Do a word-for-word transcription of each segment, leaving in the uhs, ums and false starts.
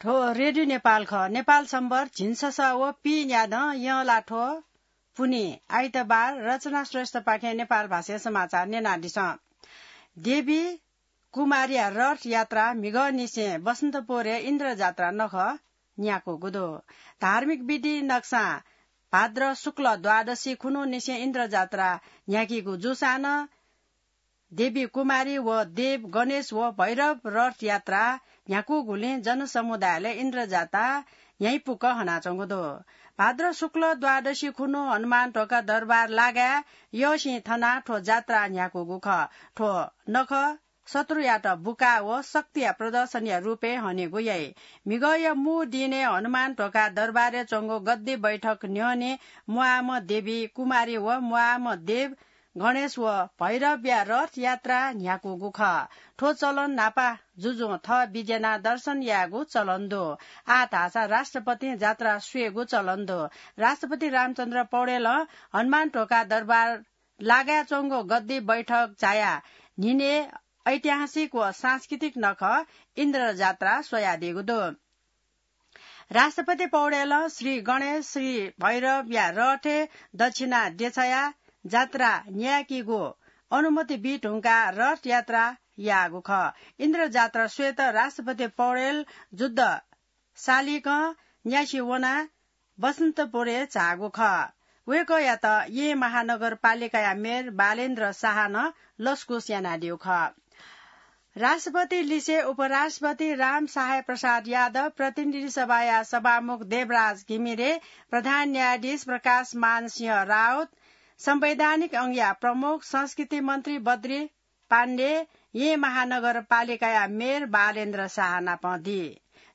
थ्व रेडियो नेपाल खः। नेपाल सम्बर झिंछसः व पीन्यादँ यंलाथ्व पुन्हि आइतबार रचना श्रेष्ठपाखें नेपाल भाषाय् समाचार न्यनादिसँ। देवी कुमारीया रथ यात्रा म्हिगःनिसें बसन्तपुरय् इन्द्रजात्रा नखः न्ह्याकूगु दु। धार्मिक विधि नकसां भाद्र शुक्ल द्वादशी खुन्हुनिसें इन्द्रजात्रा न्ह्याकीगु जूसां नं देवी कुमारी व देव गणेश व भैरव रथ यात्रा न्ह्याकूगुलिं जनसमुदायले इन्द्रजात्रा न्ह्याइपुक हनाच्वंगु दु। भाद्र शुक्ल द्वादशी खुन्हु हनुमान ढोका दरबार लागाय् यःसिं थनाः थ्व जात्रा न्ह्याकूगु खः। थ्व नखः शत्रुयात बुका व शक्तिया प्रदर्शनया रूपय् हनेगु याइ। म्हिगःया मू दिनय् हनुमान ढोका दरबारय् च्वंगु गद्दी बैठक न्ह्यःने म्वाःम्ह देवी कुमारी व म्वाःम्ह देव गणेश व भैरवया रथ यात्रा न्ह्याकूगु खः। थ्व चलन न्हापा जुजुं थः विद्यानां दर्शन यायेगु चलन दु। आः धाःसा राष्ट्रपतिं जात्रा स्वयेगु चलन दु। राष्ट्रपति रामचन्द्र पौडेलं हनुमान ढोका दरबार लागाय् च्वंगु गद्दी बैठक झायाः न्हिनय् ऐतिहासिक व सांस्कृतिक नखः इन्द्रजात्रा स्वयादीगु दु। राष्ट्रपति पौडेलं श्री गणेश, श्री भैरवया रथय् दक्षिणा देछायाः जात्रा न्यायेकीगु अनुमति बी धुंकाः रथ यात्रा याःगु खः। इन्द्रजात्रा स्वयेत राष्ट्रपति पौडेल जुद्ध सालिकं न्यासि वनाः बसन्तपुरय् झाःगु खः। वय्कःयात येँ महानगरपालिकाया मेयर बालेन्द्र शाहं लसकुस यानादीगु खः। राष्ट्रपति लिसे उपराष्ट्रपति राम सहाय प्रसाद यादव, प्रतिनिधि सभाया सभामुख देवराज घिमिरे, प्रधान न्यायाधीश प्रकाश मान सिंह राउत, संवैधानिक अंगया प्रमुख संस्कृति मन्त्री बद्री पाण्डे, येँ महानगरपालिकाया मेयर बालेन्द्र शाह नाप दी।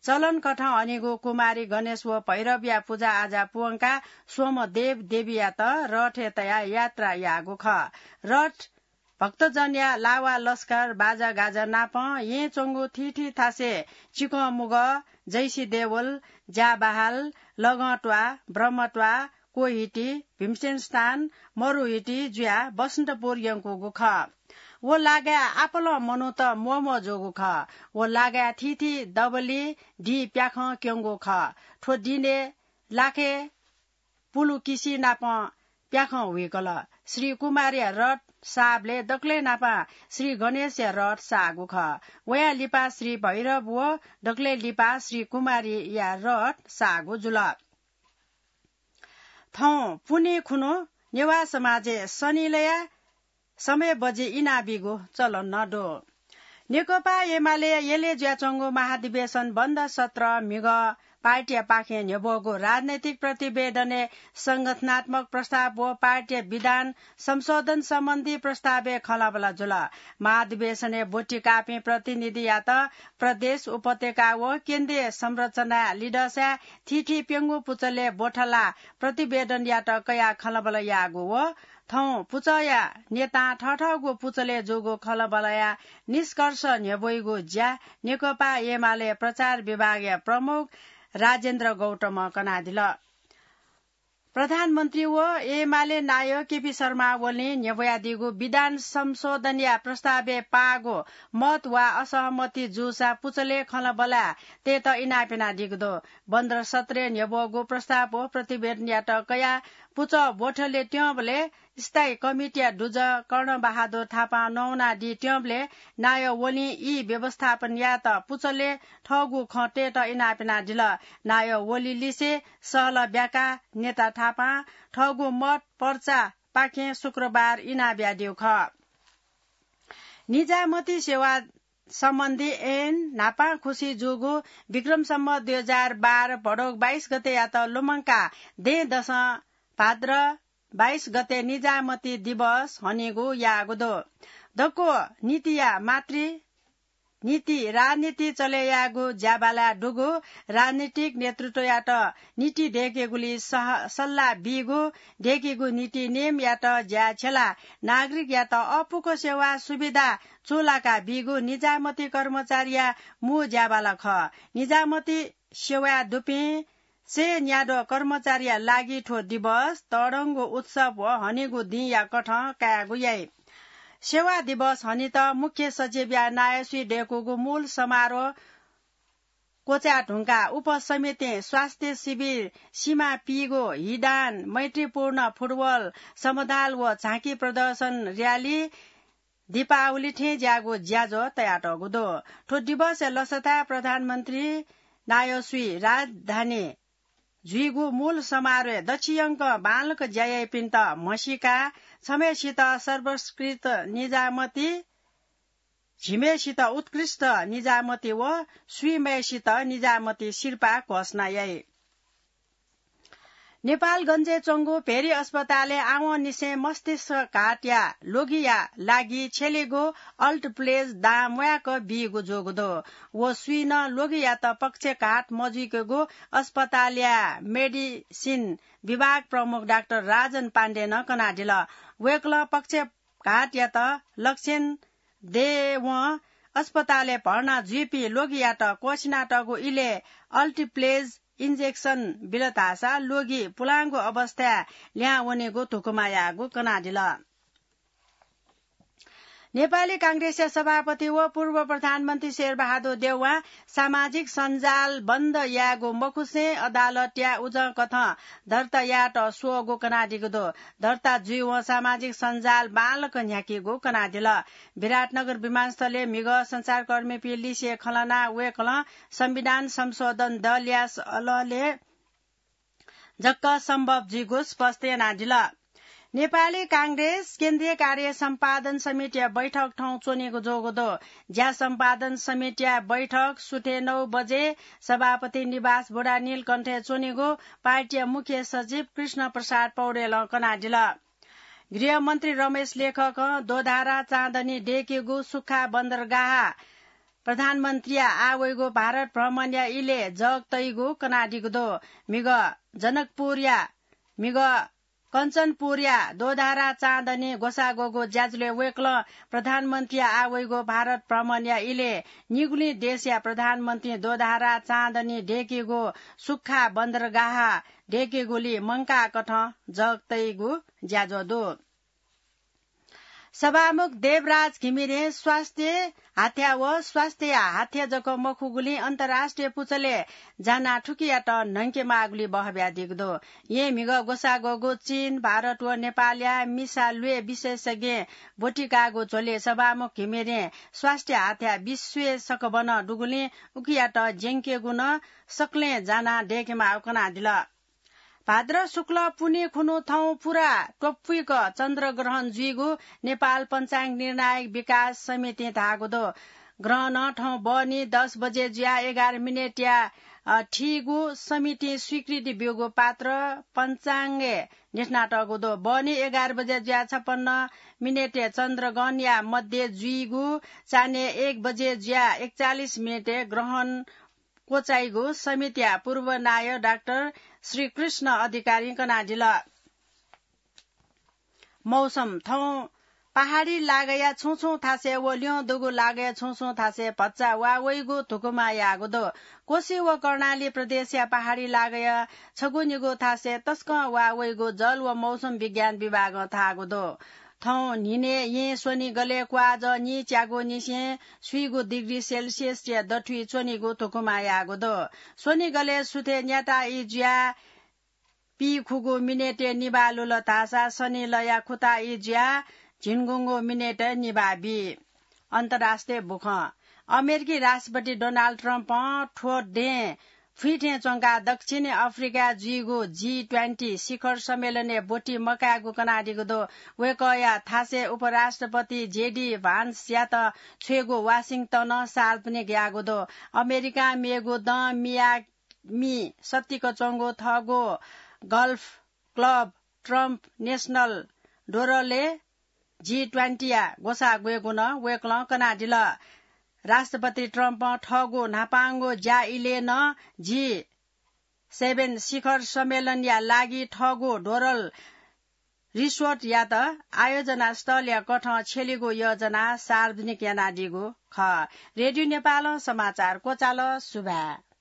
चलनकथं हनीगु कुमारी गणेश व भैरवया पुजाआजा पूवंकाः स्वम्ह देव देवीयात रथय् तयाः यात्रा याःगु खः। रथ भक्तजनया लावा लस्कर बाजागाजा नाप येँ च्वंगु थीथी थासय् चिकंमुगः, जैसी देवल, ज्याबहाल, लगंत्वाः, ब्रह्मत्वाः, कोहिटी, भीमसेन स्थान, मरुहिटी जुयाः बसन्तपुर यंकूगु खः। व लागाय् आपालं मनूत म्वःम्वः जूगु खः। व लागाय् थीथी दबली दिं प्याखं क्यंगु खः। थ्व दिनय् लाखे पुलुकिसि नाप प्याखं हुइकल। श्री कुमारया रथ साःबलय् दकलय् न्हापां श्री गणेशया रथ साःगु खः। वया लिपा श्री भैरव व दकलय् लिपा श्री कुमारीया रथ साःगु जुल। थौं पुन्हि खुन्हु नेवाः समाजय् सनिलया समय बजि इनाबीगु चलन नं दु। नेकपा एमाले यलय् जुयाच्वंगु महाधिवेशन बन्द सत्र म्हिगः पार्टीया पाखें न्ह्यब्वःगु राजनैतिक प्रतिवेदनय् संगठनात्मक प्रस्ताव व पार्टीया विधान संशोधन सम्बन्धी प्रस्तावय् खँल्हाबल्हा जुल। महाधिवेशनय् ब्वति काःपिं प्रतिनिधियात प्रदेश, उपत्यका व केन्द्रीय संरचनाया लिधःसाय् थीथी प्यंगू पुचलय् ब्वथलाः प्रतिवेदनयात कयाः खँल्हाबल्हा याःगु व थौं पुचःया नेतां थथःगु पुचलय् जूगु खँल्हाबल्हाया निष्कर्ष न्ह्यब्वइगु ज्या नेकपा एमाले प्रचार विभागया प्रमुख राजेन्द्र गौतमं कनादिल। प्रधानमन्त्री व एमाले नायः केपी शर्मा ओलीं न्ह्यब्वयादीगु विधान संशोधनया प्रस्तावय् पाःगु मत वा असहमति जूसा पुचलय् खँल्हाबल्हा तयेत इनाप यानादीगु दु। बन्द सत्रय् न्ह्यब्वःगु प्रस्ताव व प्रतिवेदनयात कयाः पुचः ब्वथलय् त्यंबलय् स्थायी कमिटीया दुजः कर्णबहादुर थापां नवानादी त्यंबलय् नायः ओलीं ई व्यवस्थापन यायेत पुचलय् थःगु खँ तयेत इनाप यानादिल। नायः ओली लिसे सहलह ब्याकाः नेता थापां थःगु मत पर्चापाखें शुक्रबार इनाप याःद्यु खः। निजामती सेवा सम्बन्धी ऐन न्हापां खुसी जूगु विक्रम सम्वत दुई हजार बाह्र भदौ बाइस गतेयात लुमंकाः दँय्‌दसं भाद्र बाइस गते निजामती दिवस हनीगु याःगु दु। दक्व नीतिया मातृ नीति राजनीति चले यायेगु ज्याबालाय् दुगु राजनीतिक नेतृत्वयात नीति दय्‌केगुली सह-, सल्लाह बीगु, दय्‌केगु नीति नियमयात ज्याय् छ्यलाः नागरिकयात अःपुक सेवा सुविधा चूलाका बीगु निजामती कर्मचारीया मू ज्याबाला खः। निजामती सेवाय् दुपिं सय न्याद्वः कर्मचारीया लागि थ्व दिवस तःधंगु उत्सव व हनीगु दिंया कथं कायेगु याइ। सेवा दिवस हनीत मुख्य सचिवया नायःसुइ दय्‌कूगु मूल समारोह क्वचाय् धुंकाः उपसमितिं स्वास्थ्य शिविर, सीमा पीगु हिदान, मैत्रीपूर्ण फुटबल समदाल व झाँकी प्रदर्शन र्‍याली दीपावली थें ज्याःगु ज्याझ्वः तयातःगु दु। थ्व दिवसय् लसताय् प्रधानमन्त्री नायःसुइ राजधानी जुइगु मूल समारोहय् दच्छियंक बांलाक ज्या याइपिन्त म्हसीका, छम्हय्सित सर्वोत्कृष्ट निजामती, झिम्हय्सित उत्कृष्ट निजामती व स्वीम्हय्सित निजामती सिरपाः घोषणा याइ। नेपालगञ्जय् च्वंगु भेरी अस्पतालय् आवंनिसें मस्तिष्कघातया ल्वगिया लागि छ्यलीगु अल्टिप्लेज दां म्वाय्क बीगु जूगु दु। व स्वीं नं ल्वगियात पक्षघात मजुइकेगु अस्पतालया मेडिसिन विभाग प्रमुख डाक्टर राजन पाण्डेनं कनादिल। वय्कलं पक्षघातयात लक्षण दयेवं अस्पतालय् भर्ना जुइपिं ल्वगियात क्वःछिनातःगु इलय् अल्टिप्लेज इन्जेक्सन बिल धाःसा ल्वगि पुलांगु अवस्थाय् ल्याहां वनेगु धुकुमा याःगु कनादिल। नेपाली कांग्रेसया सभापति व पूर्व प्रधानमन्त्री शेरबहादुर देउवां सामाजिक सञ्जाल बन्द यायेगु मखुसें अदालतया उजंकथं दर्ता यायेत स्वःगु कनादीगु दु। दर्ता जुइवं सामाजिक सञ्जाल बांलाक न्ह्याकीगु कनादिल। विराटनगर विमानस्थलय् म्हिगः सञ्चारकर्मीपिं लिसे खँ ल्हानाः वय्कलं संविधान संशोधन दलया सलहले जक्क सम्भव जुइगु स्पष्ट यानादिल। नेपाली कांग्रेस केन्द्रीय कार्य सम्पादन समितिया बैठक थौं च्वनीगु जूगु दु। ज्या सम्पादन समितिया बैठक सुथे नौ बजे सभापति निवास बुढानीलकण्ठय् च्वनीगु पार्टीया मुख्य सचिव कृष्ण प्रसाद पौडेलं कनादिल। गृहमन्त्री रमेश लेखकं दोधारा चाँदनी दय्केगु सुख्खा बन्दरगाह प्रधानमन्त्रीया आः वइगु भारत भ्रमणया इलय् जग तइगु कनादीगु दु। म्हिगः जनकपुरया, म्हिगः कञ्चनपुरया दोधारा चाँदनी ग्वसाः ग्वःगु ज्याझ्वलय् वय्कलं प्रधानमन्त्रीया आः वइगु भारत भ्रमणया इलय् निगुलिं देशया प्रधानमन्त्रीं दोधारा चाँदनी दय्केगु सुख्खा बन्दरगाह दय्केगुली मंकाःकथं जग तइगु ज्याझ्वः दु। सभामुख देवराज घिमिरें स्वास्थ्य हाथ्या व स्वास्थ्यया हाथ्या जक मखुगुलिं अन्तर्राष्ट्रिय पुचलय् जानाः थुकियात न्हंके माःगुली बहः बियादीगु दु। येँ म्हिगः ग्वसाः ग्वःगु चीन, भारत व नेपालया मिसा ल्वय् विशेषज्ञ ब्वति काःगु झ्वलय् सभामुख घिमिरें स्वास्थ्य हाथ्या विश्वय् सकभनं दुगुलिं उकियात ज्यंकेगु नं सकलें जानाः दय्केमाःगु कनादिल। भाद्र शुक्ल पुन्हि खुन्हु थौं पुरा त्वपुइक चन्द्रग्रहण जुइगु नेपाल पञ्चाङ्ग निर्णायक विकास समितिं धाःगु दु। ग्रहणं थौं बहनी दस बजे जुयाः एघार मिनेटया, अ, थीगु समितिं स्वीकृति ब्यूगु पात्र पञ्चाङ्गय् न्ह्यथनातःगु दु। बहनी एघार बजे जुयाः छपन्न मिनेटय् चन्द्रग्रहणया मध्ये जुइगु चान्हय् एक बजे जुयाः एकचालिस मिनेटय् ग्रहण क्वचाइगु समितिया पूर्व नायः डाक्टर श्रीकृष्ण अधिकारीं कनादिल। मौसम थौं पहाडी लागाया छुं छुं थासय् व ल्यं दुगु लागाया छुं छुं थासय् भचा वा वइगु धुकुमा याःगु दु। कोशी व कर्णाली प्रदेशया पहाडी लागाया छगू निगू थासय् तसकं वा वइगु जल व मौसम विज्ञान विभागं धाःगु दु। थौं न्हिनय् येँ स्वनिगलय् क्वाःजः नीच्यागू निसें स्वीगू डिग्री सेल्सियसया दथुइ च्वनीगु धुकुमा याःगु दु। स्वनिगलय् सुथय् न्याता ई जुयाः पीखुगू मिनेटय् निभाः लुल धाःसा सनिलया खुता ई जुयाः झिंगुंगू मिनेटय् निभाः बी। अन्तर्राष्ट्रिय बुखँ। अमेरिकी राष्ट्रपति डोनाल्ड ट्रम्पं थ्व दँय् फुइँ थें च्वंकाः दक्षिणी अफ्रिकाय् जुइगु जी ट्वेन्टी शिखर सम्मेलनय् ब्वति मकायेगु कनादीगु दु। वय्कःया थासय् उपराष्ट्रपति जेडी भान्सयात छ्वयेगु वाशिंटनं सार्वजनिक याःगु दु। अमेरिकां मेगु दँ मियामी सत्तिक च्वंगु थःगु गल्फ क्लब ट्रम्प नेशनल डोरलय् जी ट्वेन्टीया ग्वसाः ग्वयेगु नं वय्कलं कनादिल। राष्ट्रपति ट्रम्पं थःगु न्हापांगु ज्या इलय् नं जी सेभेन शिखर सम्मेलनया लागि थःगु डोरल रिसोर्टयात आयोजना स्थलया कथं छ्यलीगु योजना सार्वजनिक यानादीगु खः। रेडियो नेपालं समाचार क्वचाल। सुभाय्।